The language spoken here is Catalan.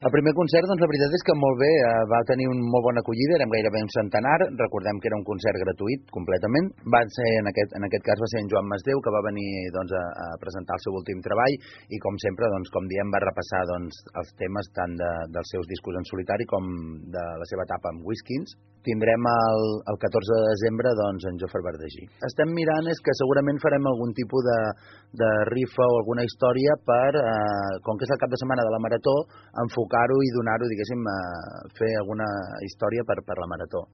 El primer concert, doncs la veritat és que molt bé, va tenir una molt bona acollida, érem gairebé un centenar, recordem que era un concert gratuït completament, en aquest cas va ser en Joan Masdeu, que va venir doncs, a presentar el seu últim treball, i com sempre, doncs, com diem, va repassar doncs, els temes tant dels seus discos en solitari com de la seva etapa amb Whiskins. Tindrem el 14 de desembre doncs, en Jofre Verdegí. Estem mirant és que segurament farem algun tipus de rifa o alguna història per, com que és el cap de setmana de la Marató, enfocar-ho i donar-ho, diguéssim, fer alguna història per la Marató.